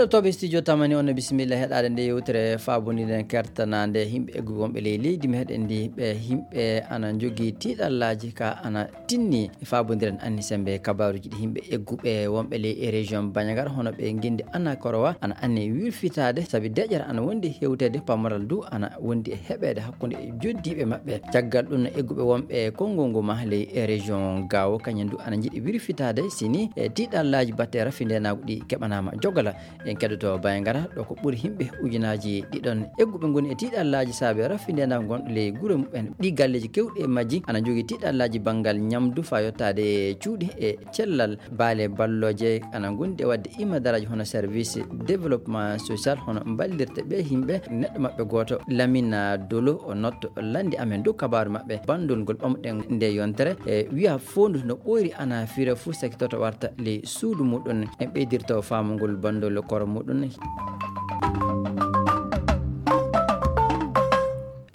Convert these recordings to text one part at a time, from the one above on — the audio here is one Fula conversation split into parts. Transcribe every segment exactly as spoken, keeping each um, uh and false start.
Toɓe studio tamani on, bisimilla heɗaade nde yewtere faabondiren kertanaande yimɓe eggu wonɓe ley leydi meɗen ndi, ɓe yimɓe ana njogii tiiɗallaaji ka ana tinni e faabondiren anni sembe kabaaruji ɗi yimɓe egguɓe wonɓe ley e région Bandiagara, hono ɓe ngenndi Anakorowa, ana anni wirfitaade sabi deƴƴere ana wondi hewteede, pamaral du ana wondi e heɓeede hakkunde e joddiiɓe maɓɓe. Caggal ɗum, egguɓe wonɓe konngol ngu ma ley e région Gaawo, kañum du ana njiɗi wirfitaade sini e tiiɗallaaji batte rafindenaagu ɗi keɓanaama jogala. En keɗoto Bandiagara, ɗo ko ɓuri yimɓe ujunaaji ɗiɗon egguɓe ngoni e tiiɗallaaji saabe rafindenaagu ngon ley gure muɓɓen. Ɗi galleeji kewɗi e majji ana njogii tiiɗallaaji banngal ñamdu faa yottaade e cuuɗi e cellal. Baale ballooje ana ngondi e waɗde imadaraaji hono service développement social, hono mballirte ɓe yimɓe. Neɗɗo maɓɓe gooto, Lamine Dolo, o noddo lanndi amen dow kabaaru maɓɓe. Banndol ngol ɓamɗen nde yontere, e wiya foondu no ɓooyri ana fira fuu sakitoto warta ley suudu muɗum. En ɓeydirto faamugol banndol koro muɗum.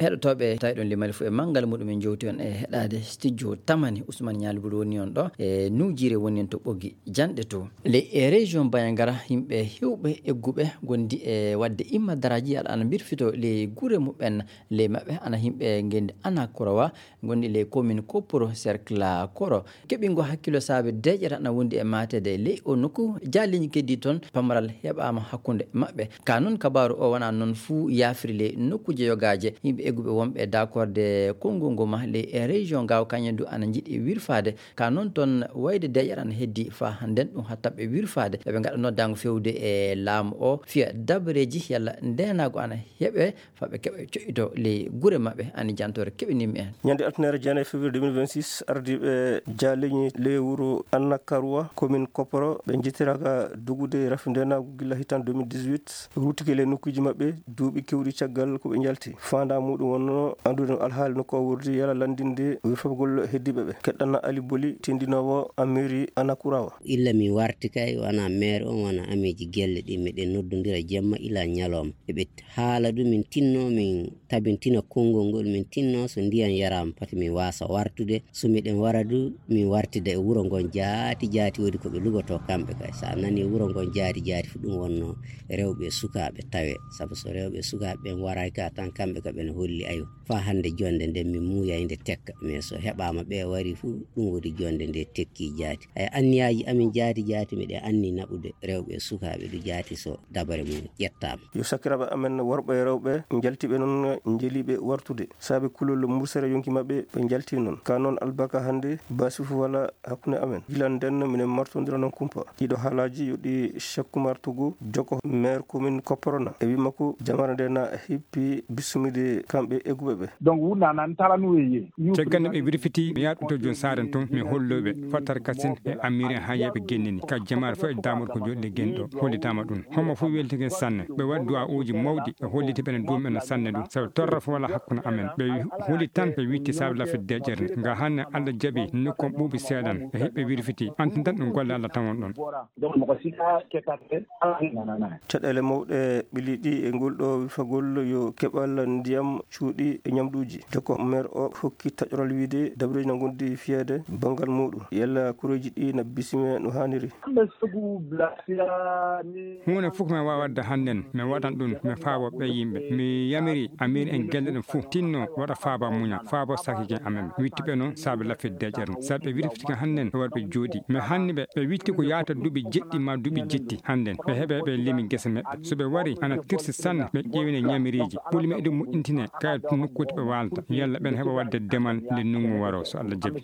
Heɗotooɓe, tawi ɗon limali fof e manngal muɗum, en jowti on e heɗaade studio tamani. Ousmane Ñaali Bulu woni on ɗo, e Nuujiire woni on to Ɓoggi Janɗe to. Ley e région Bandiagara, yimɓe hewɓe egguɓe gondi e waɗde imma daraaji, aɗa ana mbirfito ley gure muɓɓen, ley maɓɓe ana yimɓe ngenndi Anakorowa, gondi ley commune Koporo, cercle Koro. Keɓingo hakkilo saabe deƴƴere ana wondi e maateede ley o nokku. Jaaliiji keddi toon, pamaral heɓaama hakkunde maɓɓe. Ka noon, kabaaru o wona noon fuu yaafri ley nokkuuje yogaaje. Yimɓe egguɓe wonɓe dakorde konngol ngo ma ley e région Gaawo, kañum du ana njiɗi wirfaade. Ka noon toon, wayde deƴƴere ana heddi faa hannden ɗum hatta ɓe wirfaade. Ɓe ɓe ngaɗa noddaango fewde e laamu o, fiya dabareeji yalla ndeenaagu ana heɓe, faa ɓe keɓa coƴƴito ley gure maɓɓe. Ani jantoore keɓinimmi en. Ñande altine jeenayi février deux mille vingt-six, ardiiɓe jaaleñi ley wuro Annakarwa, commune Koporo, ɓe njettiraaka dogude rafi ndeenaagu gila hitan deux mille dix-huit, ruttike ley nokkuuji maɓɓe duuɓi keewɗi caggal ko ɓe njalti. Faandaa muɗum wonno anndude no alhaali nokku o wordi, yalla lanndinde wirfagol heddiiɓe ɓe. Keɗɗana Ali Boli, tindinoowo a mairie Anakurawa. Illa mi warti kay, wona maire on, wona ameeji gelle ɗin, miɗen noddondira jemma ila ñalawma. Eɓe haala ɗum, min tinno, min tabintina konngol ngol, min tinno so ndiyan yaraama, pati min waasa wartude. So miɗen wara du, min wartida e wuro ngon jaati jaati, woodi ko ɓe lugoto kamɓe kay. So a nani wuro ngon jaati jaati fu, ɗum wonno rewɓe e sukaaɓe tawe. Sabu so rewɓe e sukaaɓe ɓen waraaki ka tan, kamɓe ka ɓen holli, ayo, faa hannde jonnde nden min muuyay nde tekka. Mais so heɓaama ɓe wari fu, ɗum woodi jonnde nde tekki jaati. Ay, anniyaaji amin jaati jaati, miɗen anni naɓude rewɓe e sukaaɓe du jaati so dabare mum ƴettaama. Yo sakiraaɓe amen worɓe e rewɓe njaltiiɓe noon, njeliiɓe wartude. Saabe kulol mursere yonki maɓɓe, ɓe njalti noon. Ka noon albarka hannde, baasi fof wala hakkunde amen. Gila nden, minen martondira noon kumpa. Ɗiɗo haalaaji yo ɗi Cheikh Oumar Togo, jokko maire commune Koporona. E wi makko, jamara nde na hippi bismide kamɓe egguɓe ɓe. Donc, wunda nan tala nu weye. Caggal nde ɓe wirfiti, mi yaha ɗum to jooni saaren tun, mi holloy ɓe, fattar kasin e amiri en haa yeeɓe gennini. Ka jamaare fof e daamor ko jooɗi e gen ɗo, hollitaama ɗum. Homo fof welti gen sanne. Ɓe waɗi du'aa'uuji mawɗi, ɓe holliti ɓen duum en sanne ɗum. Sabu torra fof wala hakkunde amen. Ɓe wi-, holi tan, ɓe witti saabe lafde deƴƴere. Nga hanne Allah jaɓi, nokku on ɓuuɓi seeɗan, e hiɓɓe wirfiti. Anti tan ɗum golle Allah tawon ɗon. Donc, moko sika kekate, ala ni nanana. Caɗeele mawɗe ɓili ɗi e ngol ɗo wirfagol yo keɓal ndiyam, cuuɗi e ñamɗuuji. Jokko maire o hokki taƴoral wiide dabareeji na ngondi fiyeede banngal muɗum. Yalla kureeji ɗi na bisime no haaniri. Kamɓe sogu blasira ni. Huunde fof ko mi waawi waɗde hannden, mi waɗan ɗum, mi faabo ɓe yimɓe. Mi yamiri amir en gelle ɗen fof, tinno waɗa faaba muña, faabo sakigen amen. Witti ɓe noon saabe lafde deƴƴere. Sabu ɓe wirfiti kam hannden, ɓe waɗi ɓe jooɗi. Mi hanni ɓe, ɓe witti ko yaata duuɓi jeɗɗi ma duuɓi jetti hannden. Ɓe heɓe ɓe limi gese maɓɓe. So ɓe wari, ana tirsi sanne, ɓe ƴeewine ñamiriiji. Ɓuli meɗen moƴƴintine, kayal nokkuuji ɓe waalata. Yalla ɓen heɓa waɗde demal nde ndunngu waro, so Allah jaɓi.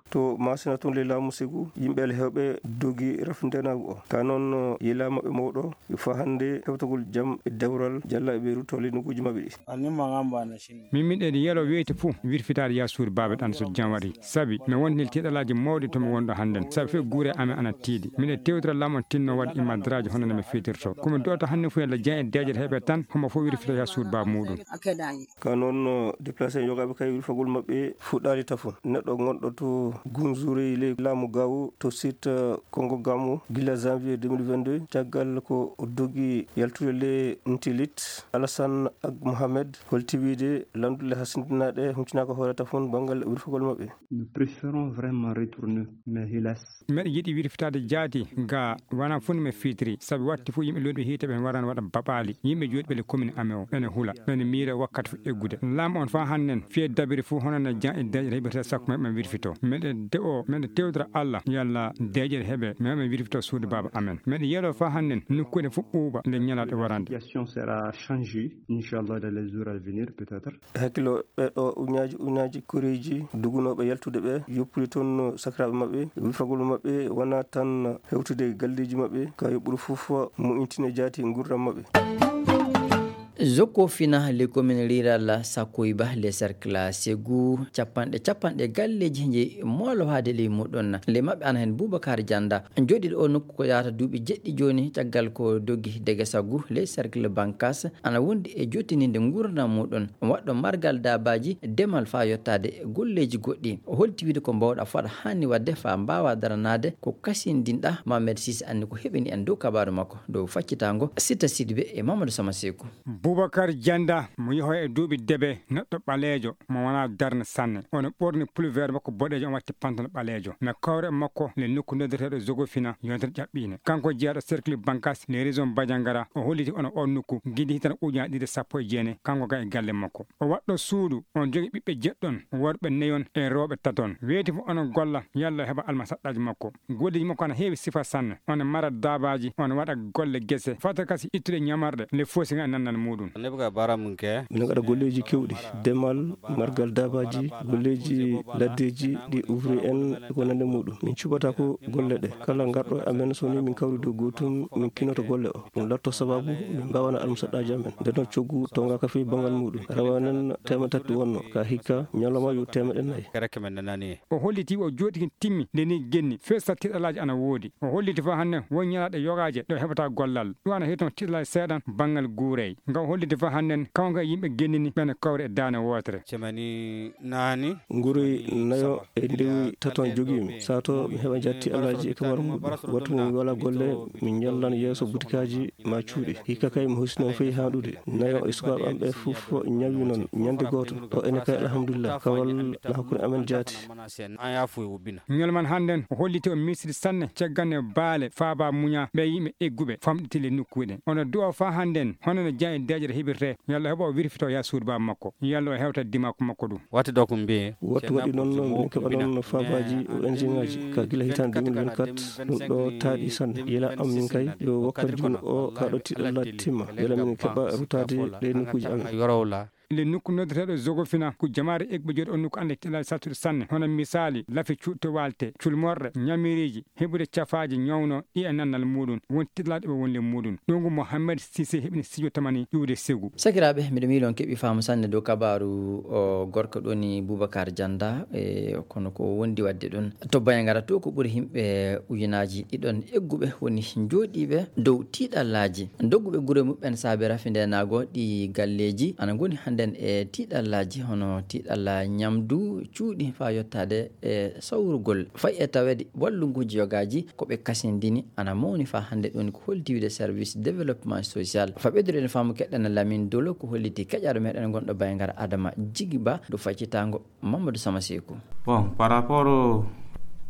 To Masina tun le laamu segu, yimɓe alhewɓe dogi rafindeenaagu o. Ka noon, yelaa maɓɓe mawɗo, yo faa hannde hewtagol jam e dewral, jalla e ɓe ruttoo le nokkuuji maɓɓe ɗi. Min miɗen yelo weeti fof wirfitaade yaa suudu baaba ɗan so jam waɗi. Sabi mi wonti tiiɗalaaji mawɗi to mi wonɗo hannden. Sabi fof guure amen ana tiiɗi. Miɗen tewtira laamo tinno waɗa imadraaji hono no mi fitirto. Ko mi du'ata hannde fof yalla jam e deeƴere heɓe tan. Homo fof wirfita yaa suudu baaba muuɗum. Ka noon, no déplacé yogaaɓe kay wirfagol maɓɓe fuɗɗaali tafon. Neɗɗo gonɗo to Gunzuri ley laamu Gaawo to site, eh, Kongo Gamo gila janvier deux mille vingt-deux, caggal ko dogi yaltude le Ntilit, Alassane ak Mohamed holti wiide landuɗe hasindinaaɗe huncinaaka hoore tafon banngal wirfagol maɓɓe. Nous préférons vraiment retourner, mais hélas. Meɗe yiɗi wirfitaade jaati ga, wona fof no mi fitiri, sabi watti fof yimɓe looɗi hiite ɓen warano waɗa baɓaali, yimɓe jooɗi ɓe le commune amen o, ene hula, ene miira wakkati fof eggude. Laam on faa hannden, fiye dabiri fof hono no jan e deeƴe heɓirta sakko men ɓe wirfito. Meɗe de o, meɗe tewdira Allah, yalla deeƴe heɓe, men ɓe wirfito suudu baaba amen. Meɗe yeɗo faa hannden, nokkuure fof ɓuuɓa nde ñalaaɗe warande. La situation sera changée, Inch'Allah, dans les jours à venir, peut-être. Hakkilo ɓe ɗo uñaaji uñaaji koreeji dugunooɓe yaltude ɓe, yoppude toon sakiraaɓe maɓɓe, wirfagol maɓɓe wona tan hewtude galleeji maɓɓe, ka yoɓɓuru fof mo intine jaati nguurndam maɓɓe. Jokko fina le commune rurale Sakoyba, le cercle Ségou, capanɗe, capanɗe galleeji njeyi moolo haade ley muɗum. Le maɓɓe ana heen Boubacar Dianda, jooɗiiɗo o nokku ko yaata duuɓi jeɗɗi jooni, caggal ko dogi dege sagu le cercle Bankas, ana wondi e jottininde nguurndam muɗum. Waɗɗo margal daabaaji, demal faa yottaade golleeji goɗɗi. O holti wiide ko mbawɗa fota haani waɗde faa mbaawa daranaade ko kasindinɗa. Mohamed Sisi anni ko heɓini en dow kabaaru makko, dow faccitaango Sita Sidibé e Mamadou Sama Seeku. Boubacar Dianda, mo yeho e duuɓi debe, neɗɗo ɓaleejo, mo wonaa darna sanne. Ono ɓorni pulveer makko boɗeejo, on watti pantalon ɓaleejo. Na kawre makko le nokku noddeteeɗo Zogofina, yontere ƴaɓɓiine. Kanko jeyaɗo cercle Bankas, le région Badiangara, o holliti ono on nokku, gidi hitande ujunaaji ɗiɗi e sappo e jeenayi, kanko ga e galle makko. O waɗɗo suudu, on jogi ɓiɓɓe jeɗɗon, worɓe neyon e rewɓe taton. Weeti fof ono golla, yalla o heɓa almasaɗɗaaji makko. Golleeji makko ana heewi sifa sanne. Ono mara daabaaji, ono waɗa golle gese. Fata kasi ittude ñamarɗe, le foosi nga e nannal muɗum. Neɓga baara mum ke. Min ngaɗa golleeji keewɗi, demal, margal daabaaji, golleeji laddeeji ɗi ouvrier en e ko nande muɗum. Min cuɓata ko golle ɗe. Kala ngarɗo e amen so ni min kawri dow gootum, min kinoto golle o. Ɗum latto sababu min mbawana almusaɗɗaaji amen. Nden noon coggu tonga ka fii bangal muɗum. Rawanen teemeɗe tati wonno, ka hikka ñalawma yo teemeɗe nayi. Kereke men nanani. O holliti o jooɗi kin timmi nde ni genni, fesa tiɗalaaji ana woodi. O holliti fof hannde won ñalaaɗe yogaaje ɗo heɓata gollal. Ɗum ana heeton tiɗalaaji seeɗan banngal guurey. Nga o holliti fof hannden, kawnga e yimɓe gennini ɓen kawre e daane wootere. Cemani nani. Nguroy nayo e ndewi taton jogiimi. Sato mi heɓa jatti alaaji e kamar muɗum. Wattu mo mi wala golle, mi ñallan yeeso butikaaji ma cuuɗi. Hikka kay mi husino fey haɗude. Nayo e sukaaɓe am ɓe fof ñawi noon ñande gooto. O ene kay alhamdulillah. Kawal na hakkunde amen jaati. Ñol man hannden o holliti o misiri sanne cagganne baale faaba muña ɓe yimɓe egguɓe famɗitile nokkuuɗe. Ono du'o faa hannden hono no jan e deeƴere heɓirte. Yalla heɓa o wirfito ya suudu baaba makko. Yalla o hewta dimaako makko ɗum. Watti ɗo ko mbiye. Wattu waɗi noon min keɓa noon faabaaji o ingénieur ji ka gila hitaande deux mille vingt-quatre. Ɗum ɗo taaɗi sanne. Yela am min kay yo wakkati juun o ka ɗo tiɗalla timma. Yela min keɓa rutaade ɗe nokkuuji amen. Yorowla. Le nokku noddeteeɗo Zogofina ko jamaare egɓe jooɗi on nokku annde tiɗalaaji sattuɗe sanne, hono misaali lafi cuuɗte walte, culmorɗe, ñamiriiji, heɓude cafaaji ñawno ɗi e nannal muɗum, won tiɗalaaɗo ɓe wonde muɗum. Ɗum ko Mohamed Sise heɓini studio tamani ƴuwde Segu. Sakiraaɓe, miɗo miilon keɓi faamu sanne dow kabaaru o gorko ɗoni Boubacar Dianda, e kono ko wondi waɗde ɗum. To Bayangara to ko ɓuri yimɓe ujunaaji ɗiɗon egguɓe woni jooɗiiɓe dow tiiɗallaaji. Dogguɓe gure muɓɓen saabe rafi ndenaago ɗi galleeji ana ngoni hannden e tiiɗallaaji, hono tiiɗalla ñamdu, cuuɗi faa yottaade e sawrugol. Fayi e taweede wallunguuji yogaaji ko ɓe kasindini ana mawni faa hannde ɗum ko holdiwde service développement social. Faa ɓeydude en faamu keɗɗen Lamine Dolo ko holliti keƴaaɗo meɗen gonɗo Bayangara Adama Jigiba dow faccitaango Mamadou Sama Seeku. Bon, par rapport au,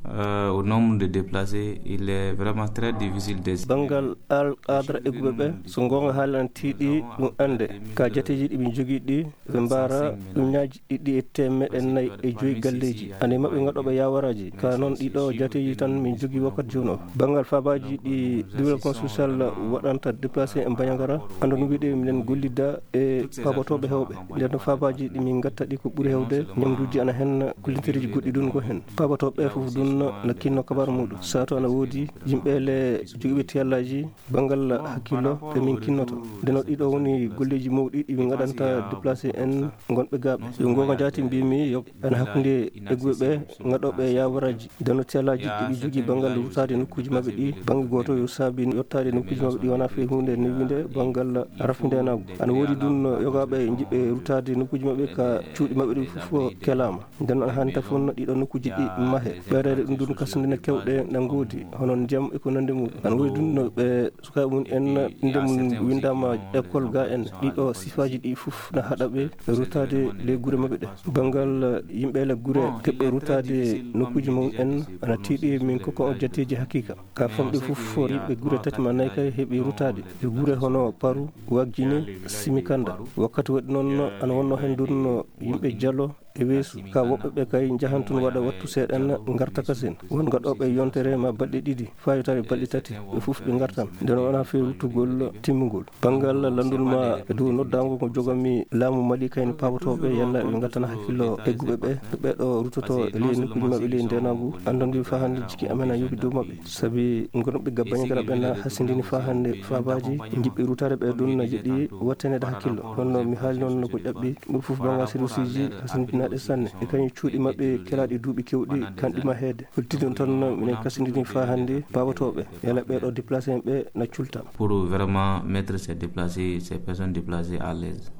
euh, au nombre de déplacés, il est vraiment très difficile de... Banngal al-, aadara egguɓe ɓe, so goonga haalana tiiɗi ɗum annde. Ka jateeji ɗi min jogii ɗi, ɓe mbaara ujunnaaji ɗiɗi e teemeɗɗe nayi e joyi galleeji. Ane maɓɓe ngaɗooɓe yaawaraaji. Ka noon ɗiɗo jateeji tan min jogii wakkati jooni o. Banngal faabaaji ɗi développement social waɗanta déplacé e Bandiagara, anndo no mbiɗe minen gollida e paabotooɓe heewɓe. Nden no faabaaji ɗi min ngatta ɗi ko ɓuri heewde, ñamduuji ana hen, kullintereeji goɗɗi ɗun ko hen. Paabotooɓe ɓe fof ɗun no kinno kabar muɗum. Sato ana woodi yimɓe le jogiiɓe tiyallaaji banngal hakkillo ɓe min kinnoto. Ndeno ɗiɗo woni golleeji mawɗi ɗi min ngaɗanta déplacé en ngonɓe gaaɓe. Yo ngoonga jaati mbimi yo ana hakkunde egguɓe ɓe ngaɗooɓe yaawaraji. Ndeno tiyallaaji ɗi ɓe jogii banngal rutaade nokkuuji maɓɓe ɗi, bannge gooto yo saabi yottaade nokkuuji maɓɓe ɗi wonaa fii huunde newinde banngal rafindeenaagu. Ana woodi ɗum yogaaɓe njiɓɓe rutaade nokkuuji maɓɓe ka cuuɗi maɓɓe ɗi fof kelaama. Nden noon hannde fof no ɗiɗo nokkuuji ɗi mahe. Ɓeydaade ɗum ɗum kasndina kewɗe na ngoodi, hono ndiyam e ko nanndi mum. Ana woodi ɗum no ɓe sukaaɓe mum en innde mum winndaama école ga en. Ɗiɗo sifaaji ɗi fof na haɗa ɓe rutaade le gure maɓɓe ɗe. Banngal yimɓe le gure keɓɓe rutaade nokkuuji mum en ana tiiɗi min ko ko on jatteeji haqiiqa. Ka famɗi fof yimɓe gure tati ma nayi kay heɓi rutaade. E gure hono Paru, Wagjini, Simikanda. Wakkati waɗi noon ana wonno heen ndun yimɓe Jalo, e weesu ka woɓɓe ɓe kay njahan tun waɗa wattu seeɗan ngarta kasen. Won gaɗooɓe yontere ma balɗe ɗiɗi fayotare balɗe tati ɓe fof ɓe ngartan. Nden wona feeru tugol timmugol banngal lanndol ma e dow noddaango ko joganmi laamu Mali kayne paabotooɓe yalla ɓe ngattana hakkillo egguɓe ɓe. Ɓeɗo rutoto e ley nokkuuji maɓɓe ley ndenaagu anndonde fa hannde jiki amen a yoɓi dow maɓɓe. Sabi gonɓe gabbañe gara ɓen hasindini fa hannde faabaaji jiɓɓi rutare ɓe ɗum na jeɗi wattanede hakkillo. Honno mi haali noon no ko ƴaɓɓi ɓur fof banngal serviceji hasindinaaɗe sanne e kañum cuuɗi maɓɓe kelaaɗi duuɓi kewɗi kanɗi ma heede. Hultidon tan minen kasindini fa hannde paabotooɓe yala ɓeɗo déplacé en ɓe na culta. Pour vraiment mettre ces déplacés, ces personnes déplacées à l'aise.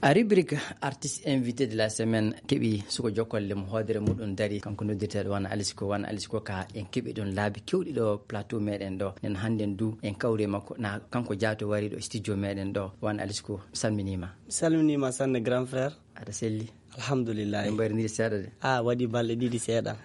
A rubrique artiste invité de la semaine keɓi suko jokkol lem hoodere muɗum dari kanko noddirteɗo wana alisko wana alisko ka en keɓi ɗon laabi kewɗi ɗo plateau meɗen ɗo nen hannden du en kawri makko na kanko jaato wari ɗo studio meɗen ɗo wana alisko salminima. Salminima sanne grand frère. Aɗa selli. Alhamdulillah. En mbayrindiri seeɗa de. A waɗi balɗe ɗiɗi seeɗa.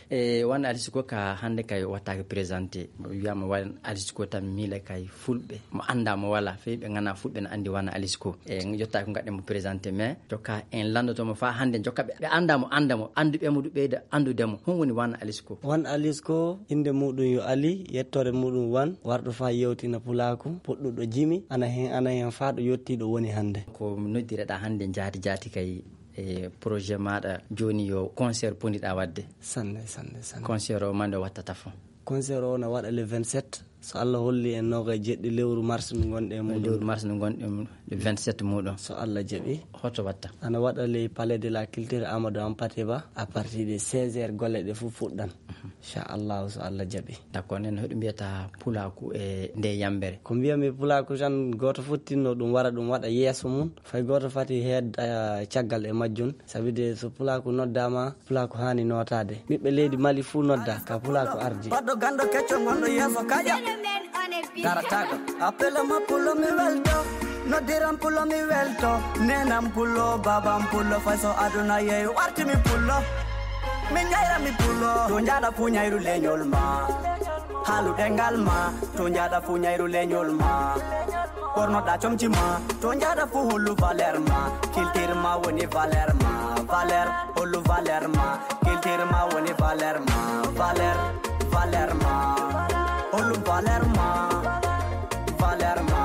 E wan alisko ka hannde kay wattaake présenté wiyama wan alisko tan miila kay fulɓe mo annda mo wala fey ɓe ngana fulɓe ne anndi wana alisko e jotta ko gaɗɗen mo présenté mais jokka en lanndotomo fa hannde jokka ɓe ɓe annda mo annda mo annduɓe mo du ɓeyda anndude mo hon woni wana alisko. Wan alisko innde muɗum yo ali yettore muɗum wan warɗo fa yewtina pulaaku puɗɗuɗo jimi ana hen ana hen fa ɗo yettiɗo woni hannde. Ko noddireɗa hannde jaati jaati kay e projet maɗa joni yo concert poniɗa wadde. Sanne sanne sanne. Concert o mande wattata fo. Concert o na waɗa le vingt-sept so allah holli en noga e jeɗɗi lewru mars no gonɗe muɗum lewru mars no gonɗe muɗum le vingt-sept muɗum so allah jaɓi. Hoto watta? Ana waɗa le palais de la culture amadou hampatiba à partir de seize heures golle ɗe fof fuɗɗan. Inchallahu so allah jaɓi. D'accord nen hoɗo mbiyata pulaku e nde yambere? Ko mbiyami pulaku tan goto fottinno ɗum wara ɗum waɗa yeeso mum fay goto fati heed caggal e majjum. Sabi de so pulaku noddama pulaku hani notade ɓiɓɓe leydi mali fuu nodda ka pulaku ardi. Baɗɗo ganndo kecco gonɗo yeeso kaƴa darataɗo. Appela ma pulo mi welto noddiran pulo mi welto nenan pulo baban pulo fay so aduna yeeyo wartimi pulo. Min ñayra mi pulo to njaɗa fu ñayru leñol ma. Haalu ɗengal ma to njaɗa fu ñayru leñol ma. Ɓornoɗa comci ma to njaɗa fu hollu valeur ma. Kiltir ma woni valeur ma valeur hollu valeur ma. Kiltir ma woni valeur ma valeur valeur ma. Hollu valeur ma valeur ma.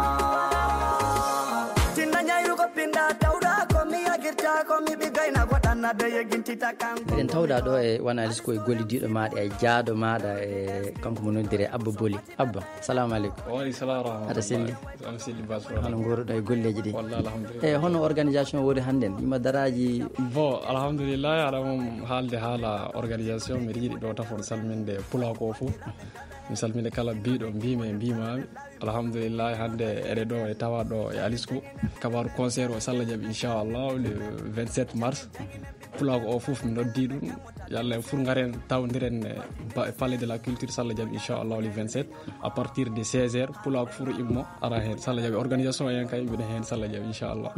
Tinna ñayru ko pinɗa tawɗa ko mi yagirta ko mi ɓigayna goɗanna de yegintita kanko. Eɗen tawɗa ɗo e wanalis ko e gollidiɗo maɗa e jaaɗo maɗa e kanko mo noddire abba boli abba. Salamu aleykum. Waaleykum salam wa rahmatullah. Aɗa selli? Ana selli bas. Hono ngooruɗo e golleeji ɗi? Walla alhamdulillah. E hono organisation woni hannden ima daraji? Bon alhamdulillah aɗa mum haalde haala organisation mbiɗa yiɗi ɗo tafon salminde pulako o fof. Mi salmina kala mbiɗo mbimi e mbimami. Alhamdulillah hannde eɗe ɗo e tawa ɗo e alisco kabaru concert o salla jaɓi inchallah le vingt-sept mars. Pulako o fof mi noddi ɗum yalla en fof ngaren tawdiren e palais de la culture salla jaɓi inchallah le vingt-sept à partir de seize heures pulako fof immo ara heen salla jaɓi organisation en kay mbiɗa heen salla jaɓi inchallah.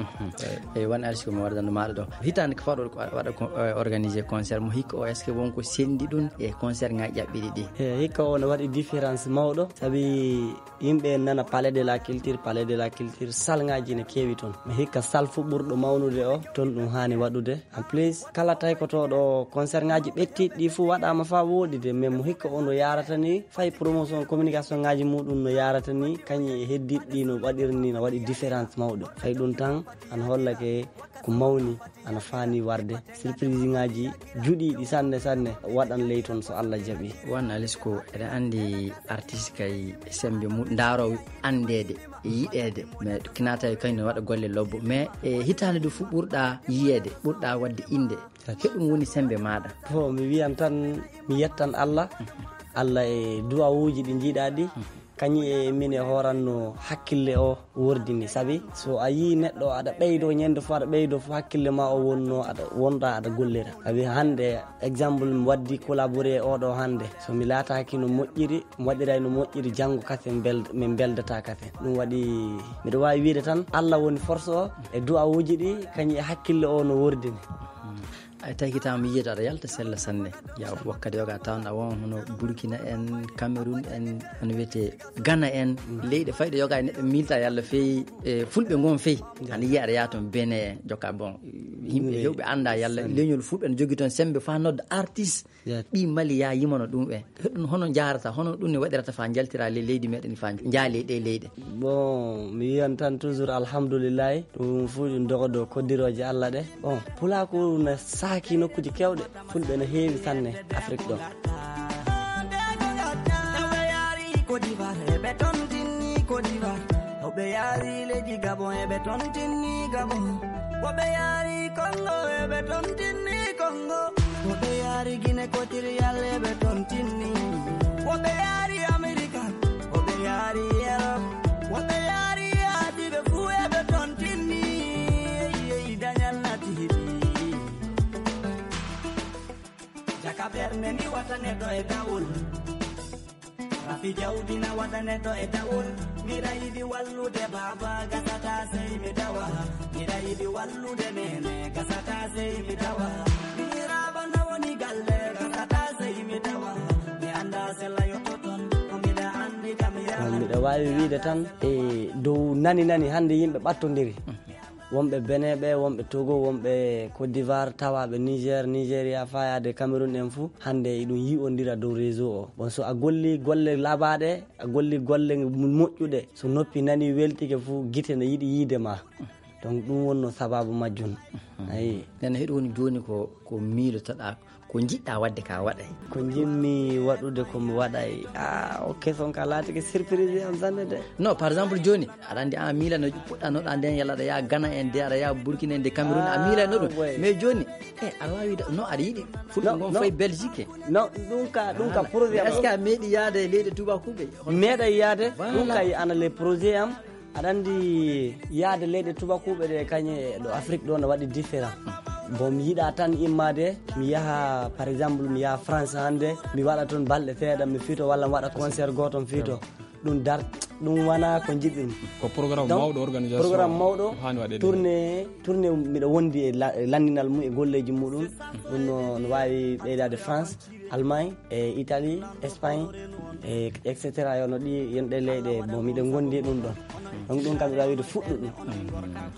Eyi won alisco mi waɗanno maɗa ɗo hitande ko fawɗo waɗa organisé concert mo hikka o est ce que wonko sendi ɗum e concert ngaji ƴaɓɓiɗi ɗi? E hikka o ne waɗi Différence mawɗo, sabi yimɓe nana palais de la culture, palais de la culture, salngaaji ne keewi toon. Mi hikka sal fu ɓurɗo mawnude o, toon ɗum haani waɗude. En plus, kala taykotooɗo concert ngaaji ɓettiiɗi ɗi fu waɗaama faa wooɗi de, mais mo hikka o no yaarata ni, fay promotion communication ngaaji muɗum no yaarata ni, kañum e heddiiɗi ɗi no waɗiri ni, no waɗi différence mawɗo. Fay ɗum tan, ana hollake ko mawni, ana faani warde. Surprise ngaaji juɗiiɗi sanne, sanne, waɗan ley toon so Allah jaɓi. Wan Alisko, eɗen anndi artiste kay sembe mu-, ndaaroowo anndeede, e yiɗeede. Mais kina tawi kañum ne waɗa golle lobbo. Mais e hitaande du fu ɓurɗa yiyeede, ɓurɗa waɗde innde. Heɗum woni sembe maaɗa. Ko mi wiyan tan, mi yettan Allah. Allah e duwawuuji ɗi njiɗaa ɗi. Kañum e min e hooran no hakkille o wordini. Sabi so a yii neɗɗo aɗa ɓeydo ñande fof, aɗa ɓeydo fof hakkille ma o wonno aɗa wonɗa aɗa gollira. Sabi hannde exemple mi waddi collaboré e oɗo hannde. So mi laataaki no moƴƴiri, mi waɗiray no moƴƴiri, janngo kasen bel-, min beldata kasen. Ɗum waɗi miɗo waawi wiide tan Allah woni force o e du'awuuji ɗi, kañum e hakkille o no wordini. Ay, tawi ko tawa mi yiyata aɗa yalta sella sanne. Ya, wakkati yoga tawan a won hono Burkina en, Cameroun en, hono wiyete Ghana en, leyɗe fayɗe yoga e neɗɗo miilta yalla feyi, e fulɓe ngon feyi. Ana yiya aɗa yaha toon Benin en, jokka bon. Yimɓe hewɓe annda yalla leñol fulɓe ne jogi toon sembe fa nodda artiste. Ɓi Mali ya yimano ɗum en. Heɗum hono njaarata, hono ɗum ne waɗirata fa njaltira le-, leydi meɗen fa njaali ɗe leyɗe. Bon, mi yiyan tan toujours alhamdulillahi. Ɗum fu ɗum dogodo koddirooje Allah ɗe. Bon, pulaaku na saaki nokkuuji kewɗe. Fulɓe no heewi sanne Afrik ɗo. Ɓe yaari Côte d'Ivoire, ɓe tontinni Côte d'Ivoire. Ɓe yaari leydi Gabon, ɓe tontinni Gabon. Ɓe yaari Congo, ɓe tontinni Congo. Ɓe yaari Guinée Équatoriale, ɓe tontinni. Ɓe yaari Amerika, ɓe yaari Europe. Ɓe yaari Asie, ɓe fuu ɓe tontinni. Yeyi dañal nati heɓi. Jaka ɓernde ndi wata neɗɗo e dawol. Rafi jawdi na wata neɗɗo e dawol. Miɗa yiɗi wallude baaba gasata sey mi dawa. Miɗa yiɗi wallude nene gasata sey mi dawa. Miñiraaba na woni galle gasata sey mi dawa. Mi annda sella yotto toon. Ko miɗa anndi kam yaha. Miɗa waawi wiide tan e dow nani nani hannde yimɓe ɓattondiri. Wonɓe Benin ɓe, wonɓe Togo, wonɓe Côte d'Ivoire, tawaaɓe Niger, Nigeria, fayaade Cameroun en fuu, hannde eɗum yi'ondira dow réseau o. Bon, so a golli golle labaaɗe, a golli golle moƴƴuɗe, so noppi nani weltike fuu, gite ne yiɗi yiide ma. Donc, ɗum wonno sababu majjum. Ayi. Nana heɗo woni jooni ko, ko miilotoɗaa, ko njiɗɗaa waɗde ka waɗay? Ko njiɗmi waɗude ko mi waɗay. Ah, ok, son ka laatike surprise am sanne de. Non, par exemple, jooni, aɗa anndi an miilano puɗɗanoɗaa nden, yalla aɗa yaha Ghana en de, aɗa yaha Burkina en de, Cameroun, a Ah, miilano ɗum. Ouais. Mais jooni, eh, aɗa waawi da-, non, aɗa yiɗi fulɓe Non, ngon non. Fayi Belgique. Non, ɗum ka, ɗum ka Voilà. Projet am. Est-ce que a meeɗi yaade e leyɗe tubakuɓe? Meeɗa yaade, ɗum Voilà. Kay ana le projet am. Aɗa anndi yaade leyɗe tubakuuɓe ɗe kañe ɗo Afrik ɗo no waɗi différent. Bon, mi yiɗa tan immaade, mi yaha, par exemple, mi yaha France hannde, mi waɗa toon balɗe seeɗa, mi fito walla mi waɗa concert gooto, mi fito. Ɗum dar, ɗum wona ko njiɗɗum. Ko programme Donc, mawɗo organisation programme mawɗo, haani waɗeede. Tournée, tournée miɗo wondi e la-, e lanndinal mum e golleeji muɗum. Ɗum no, no waawi ɓeydaade France, Allemagne, e Italie, Espagne, e et cetera. Yo no ɗi, yon ɗe leyɗe, bon, miɗen ngondi e ɗum ɗon. Donc, ɗum kam, miɗo waawi wiide fuɗɗo ɗum.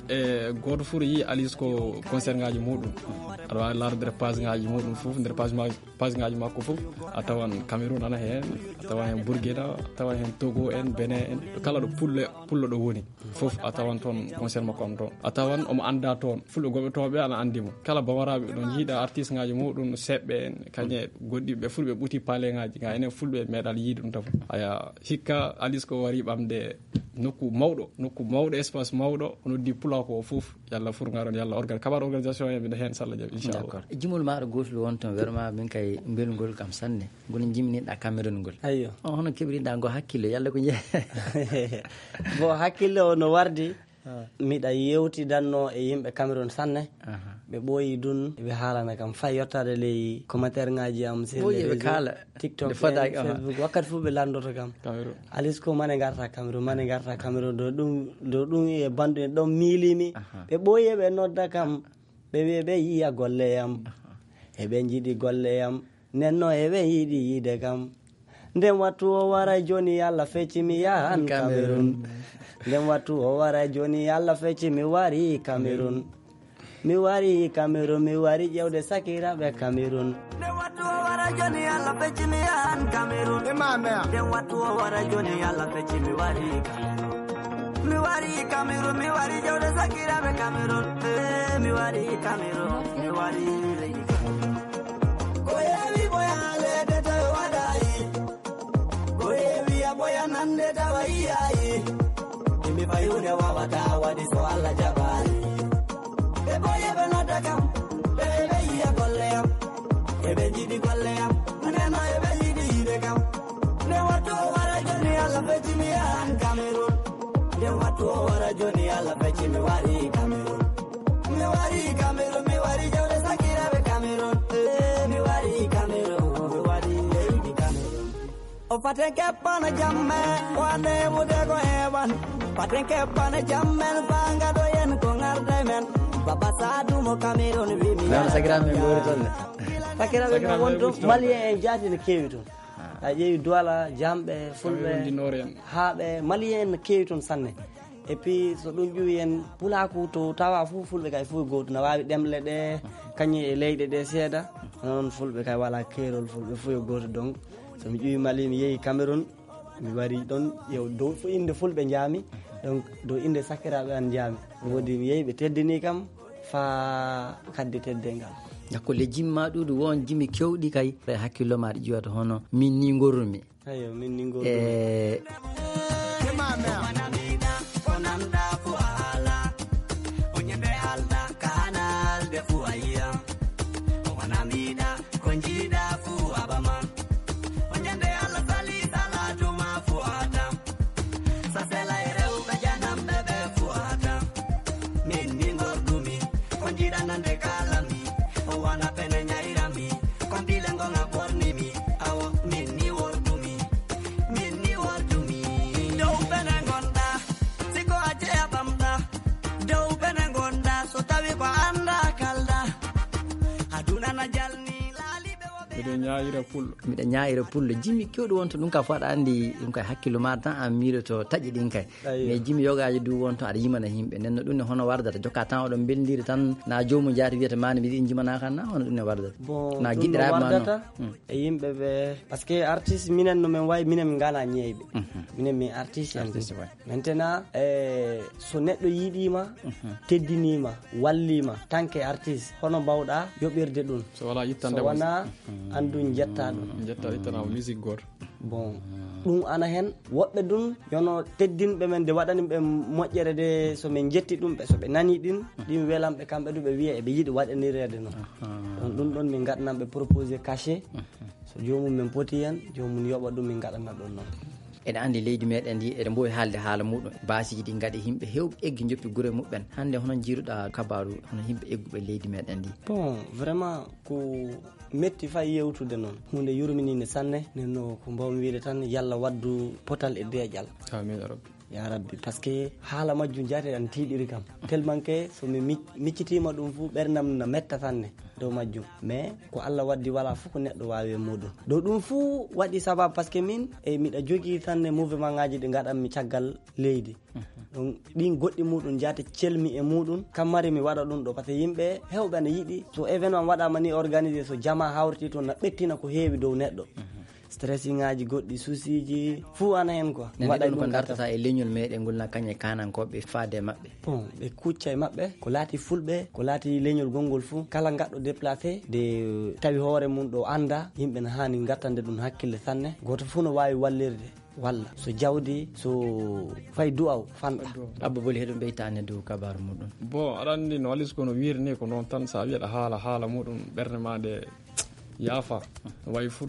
E gooto fof yiyi Alice ko concert ngaaji muɗum. Aɗa waawi laarude page ngaaji muɗum fof, nder page ma-, page ngaaji makko fof. A tawan Cameroun ana heen, a tawan heen Burkina, a tawan heen Togo en, Benin en. Kala ɗo pullo, pullo ɗo woni fof, a tawan toon concert makko am toon. A tawan omo annda toon. Fulɓe goɓetooɓe ana anndi mo. Kala bamaraaɓe ɗon njiiɗa artiste ngaaji muɗum, seɓɓe en, kañe goɗɗi ɓe fulɓe ɓuti paale ngaaji. Nga enen fulɓe meeɗal yiide ɗum tan. Aya, hikka Alice ko wari ɓamde nokku mawɗo, nokku mawɗo, espace mawɗo, o noddi pulaaku o fof. Yalla fur ngaron, yalla organ-, kabar organisation en, miɗo heen, salla jaɓi, inchallah. D'accord. Jimol maaɗo gootol won toon, werma min kay mbelngol kam sanne. Ngol jimniɗa Cameroun ngol. Ayyo. On hono keɓriɗa ngo hakkille, yalla ko je-, Bon, hakkille o no wardi. Ah. Miɗa yewtidanno e yimɓe Cameroun sanne. Aha. Ɓe ɓooyi dun, ɓe haalana kam fay yottaade ley commentaire ngaaji am, sur Ɓooyi les ɓe réseaux, kaala. TikTok Nde fadaaki, en, aha. Facebook. Wakkati fof ɓe lanndoto kam. Cameroun. Alice ko mane ngarta Cameroun, mane ngarta Cameroun. Do ɗum, do ɗum e bandu en ɗon miilimi. Aha. Ɓe ɓooyi ɓe nodda kam. Ɓe wi'e ɓe yiya golle yam. Aha. E ɓe njiɗi golle yam. Nden no e ɓe yiɗi yiide kam. Nden wattu o wara joni, Allah fecci mi yahan Cameroun. Nden wattu o wara joni, Allah fecci mi wari Cameroun. Mi wari Cameroun, mi wari ƴewde sakiraaɓe Cameroun. Nden wattu o wara joni, Allah fecci mi yahan Cameroun. Nden wattu o wara joni, Allah fecci mi wari Cameroun. Mi wari Cameroun, mi wari ƴewde sakiraaɓe Cameroun. Eh, mi wari Cameroun, mi wari leydi Cameroun. Ko heewi boyaale de tawi waɗayi. Ko heewi a boyanande tawa yiyayi. Imi fayude wawata waɗi so Allah jaɓaali. Ɓe boye ɓe nodda kam, ɓe ɓe yiya golle am. Eɓe jiɗi golle am, ndeno eɓe yiɗi yiide kam. Nde wattu o wara joni Allah fecci mi yahan Cameroun. Nde wattu o wara joni Allah fecci mi wari Cameroun. Mi wari Cameroun, mi wari jawle sakiraaɓe Cameroun. Eh, mi wari Cameroun, mi wari leydi Cameroun. O faten keppana jamme, o ande mude ko hewan. Faten keppana jammen, fanga do yen ko ngarde men. Baba Sadu mo Cameroun, wi mi Nana yaha sakiraaɓe men Gambia. Gori toon ne. Sakiraaɓe men won toon, Malien en jaati ne keewi toon. A ƴeewi Douala, Jamɓe, Fulɓe, Windinoore en. Haaɓe, Malien en ne keewi toon sanne. Et puis, so ɗum ƴuwi en pulaaku to tawa fof, Fulɓe kay fof gooto, na waawi ɗemle ɗe, kañum e leyɗe ɗe seeɗa. Hono noon Fulɓe kay wala keerol, Fulɓe fof yo gooto. Donc, so mi ƴuwi Mali, mi yehi Cameroun, mi wari ɗon, yo dow fof innde Fulɓe njaami. Donc, dow innde sakiraaɓe an njaami. Woodi mi yehi, ɓe teddini kam, faa kaddi teddeengal. Dakko le jimma ɗuuɗu won jimi kewɗi kay, ɓe hakkillo ma ɗi ƴiwata hono min ni ngorrumi. Ayo, min ni ngol ɗum. E Miɗo ñaayira pullo. Miɗo ñaayira pullo. Jimmi kewɗo wonto ɗum ka fof aɗa anndi ɗum kay hakkillo ma tan an miiloto taƴi ɗin kay. Mais jimi yogaaji du won toon aɗa yimana yimɓe. Nden no ɗum ne hono wardata. Jokka tan oɗon mbelndiri tan na joomum jaati wiyata mani mbiɗi ɗin jimana kan na hono ɗum ne wardata. Bon, na giɗɗiraaɓe ma noon. E yimɓe ɓe, parce que artiste minen no men wayi, minen min ngala ñeeyɓe. Minen min artiste en. Maintenant, e so neɗɗo yiɗima, teddinima, wallima, tant que artiste, hono mbawɗa yoɓirde ɗum? So wala yittande. So wona an ɗum jetta ɗum. Jetta ittana musique goto. Bon, ɗum ana hen. Woɓɓe ɗum yono teddinɓe men de waɗani ɓe moƴƴere de, so min jetti ɗum ɓe, so ɓe nani ɗin, ɗin welan ɓe kamɓe du ɓe wiya eɓe yiɗi waɗanireede noon. Donc ɗum ɗon min ngaɗanan ɓe proposé cachet. So joomum men poti hen, joomum yoɓa ɗum, min ngaɗana ɗum noon. Eɗen anndi leydi meɗen ndi eɗen mbowi haalde haala muɗum. Baasiiji ɗi ngaɗi yimɓe hewɓe eggi njoppi gure muɓɓen. Hannde hono njiiruɗa kabaru hono yimɓe egguɓe leydi meɗen ndi? Bon, vraiment ko metti fay yewtude noon. Huunde yurmininde sanne, nden no ko mbawmi wiide tan, yalla waddu potal e deeƴal. Amin ya rabbi. Ya rabbi, parce que haala majjum jaate an tiiɗiri kam. Tellement que so mi mic-, miccitiima ɗum fof, ɓernam na metta sanne dow majjum. Mais ko Allah waddi, wala fof ko neɗɗo waawi e muɗum. Dow ɗum fof waɗi sababu, parce que min, e miɗa jogii sanne mouvement ngaji ɗi ngaɗanmi caggal leydi. Donc, ɗin goɗɗi muɗum jaate celmi e muɗum, kammari mi waɗa ɗum ɗo, parce que yimɓe hewɓe ana yiɗi, so événement waɗama ni organisé, so jama hawriti toon, na ɓettina ko heewi dow neɗɗo. Stressing ngaji goɗɗi, souci ji, fuu ana hen quoi. Nani waɗa ɗum ko ɗum gartata e leñol meɗen ngol na kañe kanankoɓe faade e maɓɓe. Bon, ɓe kucca e maɓɓe, ko laati fulɓe, ko laati leñol gongol fuu, kala gaɗɗo déplacé, de tawi hoore mum ɗo anda, yimɓe na hani gattande ɗum hakkille sanne. Goto fuu no wawi wallirde, walla so jawdi, so fay du'aw fanɗa. Abba Boli heɗum ɓeytani dow kabaru muɗum. Bon, aɗa andi no walis kono wirni ko noon tan, sa wiyaɗa haala, haala muɗum ɓernde ma nde yaafa. Wayi fur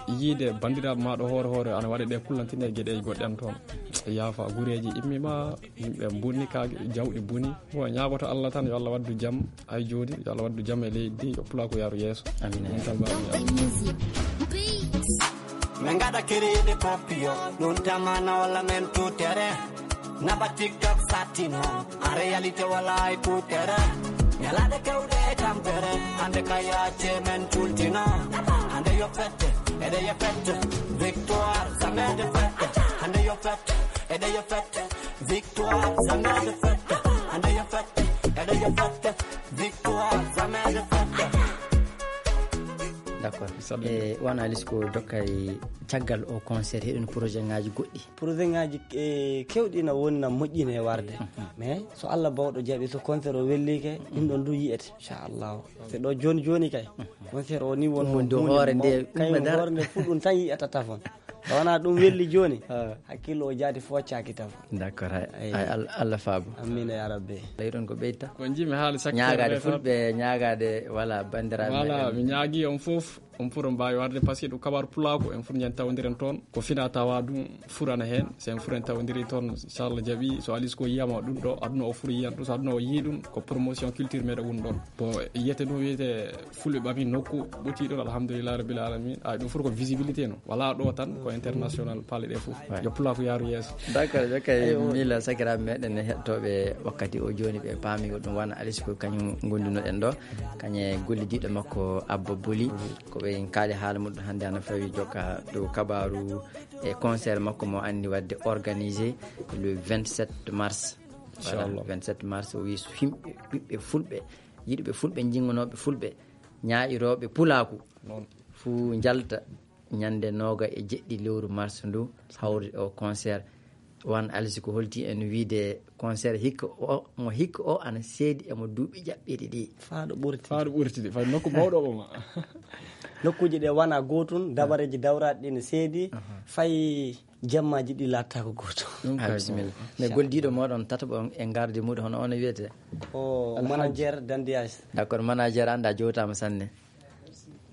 yiide bandiraɓe ma ɗo hoore hoore ana waɗa ɗe kullantine e geɗeji goɗɗe an toon. Yaafa gureji immima, yimɓe bonni ka jawɗi boni. Bon, ñaagoto Allah tan yo Allah waddu jam, ay jooni yo Allah waddu jam e leydi ndi, yo pulaaku yaaru yeeso. Amin. Ɗum tan mbaawmi. Min ngaɗa kerede papillon, ɗum tamana walla men tutere. Naba TikTok satino, en réalité wala e kutere. Ñalaɗe kewɗe e tampere, hande ka yaace men tultino. Hande yo fette, Eɗe yo fête, victoire, jamais défaite. Hande yo fête, eɗe yo fête, victoire, jamais défaite. Hande yo fête, eɗe yo fête, victoire, jamais défaite. D'accord. Sabi. E wana alis ko dokkay caggal o concert, heɗen projet ngaji goɗɗi. Projet ngaji e kewɗi na woni na moƴƴine e warde. Mais so Allah bawɗo jaɓi, so concert o wellike, ɗum ɗon du yi'ete, inchallah. So ɗo joni joni kay, concert o ni won Ɗum ɗo hoore nde kay umma dara. Hoore nde fu ɗum tan yi'ata tafon. So wona ɗum welli joni, hakkillo o jaati foccaki tafon. D'accord, hay. Ay. Ay, Al-, Allah faabu. Amina ya rabbi. Lay ɗon ko ɓeyta. Ko jimi haali sakkeere Ñaagaade tan. Fulɓe, ñaagaade, voilà, bandiraɓe Voilà, meɗen. Mi ñaagi on fof, on pour on mbaawi warde, parce que ɗum kabaru pulaaku, en fof ñande tawondiren toon. Ko fina tawa ɗum furana heen. So en fof en tawondiri toon, inchallah jaɓi, so alis ko yiyama ɗum ɗo, aduna o fof yiyan ɗum, so aduna o yii ɗum, ko promotion culture meɗen woni ɗon. Bon, yiyete ɗum, wiyete fulɓe ɓami nokku, ɓoti ɗon, alhamdulillah rabbil alamin. Ay, ɗum fof ko visibilité no. Wala ɗo tan, ko international, paale ɗe fof. Ouais. Yo pulaaku yaaru yeeso. D'accord, jokkay. Ayo. Mila sakiraaɓe meɗen e heɗotooɓe wakkati o jooni, ɓe paami ko ɗum wona alis ko kañum gondunoɗen ɗo. Kañe gollidiiɗo makko Abba Boli, ko ɓe en kaali haala muɗum hannde ana fawi jokka dow kabaru e concert makko mo anndi wadde organisé le vingt-sept mars. Voilà, inchallah. Vingt-sept mars, o wi yimɓe, ɓiɓɓe fulɓe, yiɗuɓe fulɓe, jingonooɓe fulɓe, ñaa'irooɓe pulaaku, noon. Fuu njalta ñande nooga e jeɗɗi lewru mars ndu, hawri o concert. Wan Alsi ko holti en wiide concert hikka o, mo hikka o ana seedi e mo duuɓi jaɓɓiiɗi ɗi. Faa ɗo ɓurti. Faa ɗo ɓurti ɗi, faa nokku mawɗo o ma. Nokkuuji ɗe wana gootun, dabareeji dawraaɗi ɗi ne seedi, fay jemmaaji ɗi laattaako gooto. Ɗum Ah, kay bisimilla. Bon. Mais goldiiɗo mooɗon tataɓo on e garde muɗum, hono on wiyete? O Alhaji. Manager Dandias. D'accord, manager anda jowtaama sanne.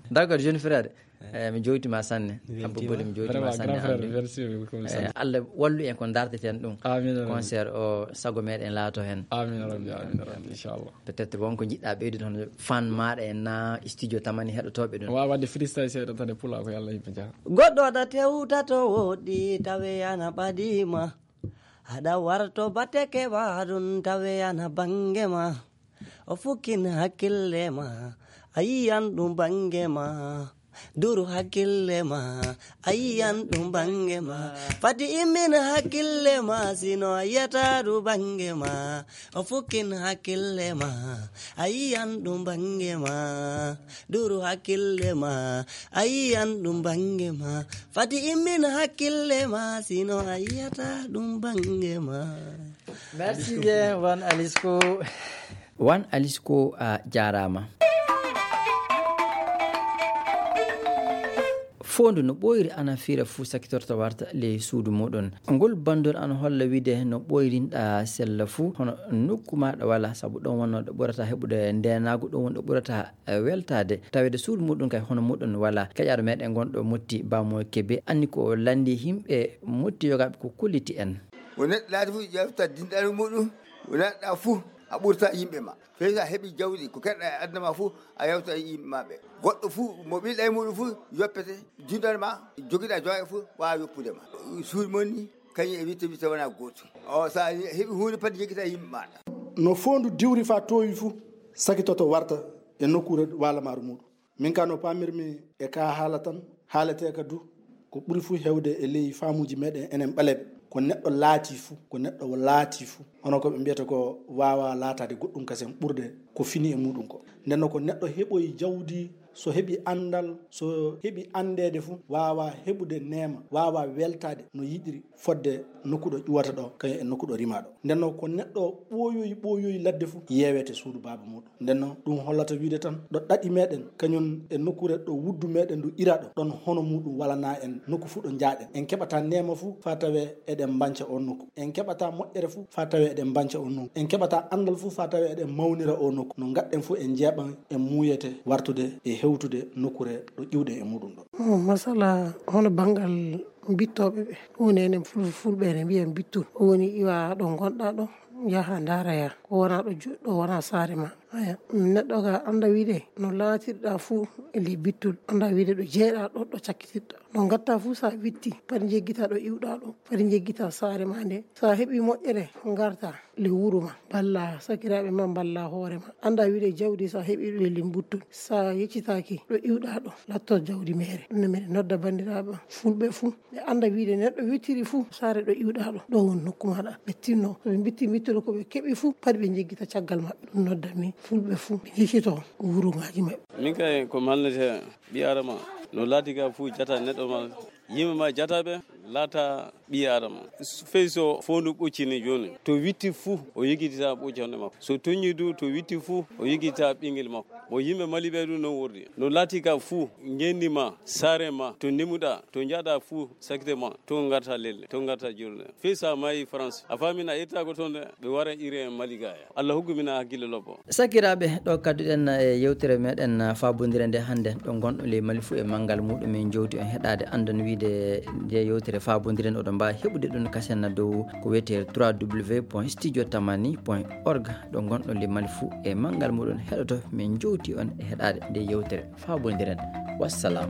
D'accord, jeune frère. Eh, mi jowtima sanne. Mi weltima. Abba Boli, mi jowtima Vraiment, sanne grand frère, andu. Merci beaucoup, mi Eh, sanne. Allah wallu en ko darteten ɗum. Amin, amin. Concert o sago meɗen laato hen. Amin, rabbi, amin, rabbi, inchallah. Peut-être won ko jiɗɗa ɓeydude hono fan maɗa en na studio tamani heɗotoɓe ɗum. Waawa wadde freestyle seeɗa tan e pulaar ko Yalla yimɓe jaha. Goɗɗo aɗa tewta to woɗɗi tawe ana ɓadima. Aɗa warto batte keɓa ɗum tawe ana bange ma. O fukkin hakkille ma. A yiyan ɗum bange ma. Duru hakkille ma. A yiyan ɗum bange ma. Fati immin hakkille ma. Sino a yiyata ɗum bange ma. O fukkin hakkille ma. A yiyan ɗum bange ma. Duru hakkille ma. A yiyan ɗum bange ma. Fati immin hakkille ma. Sino a yiyata ɗum bange ma. Merci bien, Wan Alisko. Wan Alisko, a jaaraama. Foondu no ɓooyri ana fiira fuu sakitorto warta ley suudu muɗum. Ngol bandol ana holla wiide no ɓooyrinɗa sella fuu, hono nokku maaɗa wala, sabu ɗon wonno ɗo ɓurata heɓude ndeenaagu, ɗon woni ɗo ɓurata, eh, weltaade. Taweede suudu muɗum kay hono muɗum wala. Keƴaaɗo meɗen gonɗo Motti, Bamo Kebe, anni ko o lanndi yimɓe Motti yogaaɓe ko kolliti en. Ko neɗɗo laati fuu ƴeewta dinɗal muɗum, ko neɗɗo fuu a ɓurta yimɓe ma. Fey so a heɓi jawdi, ko keɗɗa e aduna ma fuu, a yewta e yimɓe ma ɓe. Goɗɗo fuu mo ɓiɗɗa e muɗum fuu yoppete, dinɗal ma, jogiɗa joye fuu, waawa yoppude ma. Suudu mon ni, kañum e witte witte wona gootum. O, so a heɓi huunde pati, jokkita yimɓe maɗa. No foondu diwri faa toowi fuu, sakitoto warta e nokkuure waalamaaru muɗum. Min ka no paamirmi e ka haala tan, haalateeka du, ko ɓuri fuu heewde e ley faamuuji meɗen enen ɓaleeɓe, ko neɗɗo laati fuu, ko neɗɗo laati fuu. Hono ko ɓe mbiyata ko waawaa laataade goɗɗum kasen ɓurde ko fini e muɗum ko. Nden noon ko neɗɗo heɓoyi jawdi, so heɓi anndal, so heɓi anndeede fuu, waawaa heɓude neema, waawaa weltaade no yiɗiri fodde nokku ɗo ƴuwata ɗo, kañum e nokku ɗo rimaa ɗo. Nden noon ko neɗɗo ɓooyoyi, ɓooyoyi ladde fuu, yeewete suudu baaba muɗum. Nden noon, ɗum hollata wiide tan, ɗo ɗaɗi meɗen, kañum e nokkuure ɗo wuddu meɗen ndu ira ɗo, ɗon hono muɗum walanaa en nokku fuu ɗo njaaɗen. En keɓataa neema fuu faa tawee eɗen mbanca oon nokku. En keɓataa moƴƴere fuu faa tawee eɗen mbanca oon nokku. En keɓataa anndal fuu faa tawee eɗen mawnira oon nokku. No ngaɗɗen fuu en njeeɓan, en muuyete wartude e hewtude nokkuure ɗo ƴiwɗen e muɗum ɗo. Oh, masala, hono banngal mbittooɓe ɓe. Ɗum woni enen ful-, fulɓe ene mbiya mbittu. Ɗum woni iwa ɗo ngonɗaa ɗo, yaha ndaaraya. Ko wonaa ɗo ju-, ɗo wonaa saare ma. Aya, neɗɗo ka annda wiide no laatirɗa fuu e ley bittol, annda wiide ɗo jeeɗa ɗo, ɗo cakkitirɗa. No ngatta fuu sa witti, padi njeggita ɗo iwɗa ɗo, padi njeggita saare ma nde. Sa heɓi moƴƴere, ngarta le wuro ma, balla sakiraaɓe ma, balla hoore ma. Annda wiide jawdi sa heɓi ɗo e ley mbuttol, sa yeccitaaki ɗo iwɗa ɗo, latto jawdi meere. Ɗum ne miɗen nodda banndiraaɓe fulɓe fuu. Ɓe annda wiide neɗɗo wittiri fuu, saare ɗo iwɗa ɗo, ɗo won nokku maɗa. Ɓe tinno, so ɓe mbitti mbittol ko ɓe keɓi fuu, padi ɓe njeggita caggal maɓɓe. Ɗum nodda mi fulɓe fuu, ɓe yeccito wuro ngaji maɓɓe. Min kay ko malnete ɓi adama, no laati ka fuu jata neɗɗo ma, yimɓe ma jataɓe, laata ɓi adama. Fey so foondu ɓoccini jooni, to witti fuu, o yigitita ɓoccande makko. So toñi du, to witti fuu, o yigitita ɓingel makko. Mo yimɓe Mali ɓe ɗum non wordi. No laati ka fuu, ngendi ma, saare ma, to ndimuɗa, to njaɗa fuu, sakite ma, to ngarta lelle, to ngarta jurde. Fey sa maayi France, a faamina yettako toon de, ɓe wara iri en Mali gaya. Allah hokku min hakkille lobbo. Sakiraaɓe, ɗo kadduɗen e yewtere meɗen faabondire nde hannde, ɗo gonɗo ley Mali fuu e manngal muɗum, en jowti on heɗaade. Anndon wiide nde yewtere faabondire nde, oɗon mbaawi heɓude ɗum kasen dow ko wiyetee trois W point studio tamani point org. Ɗo gonɗo ley Mali fuu e manngal muɗum heɗoto, min jowti on e heɗaade nde yewtere faabondire nde. Wassalam.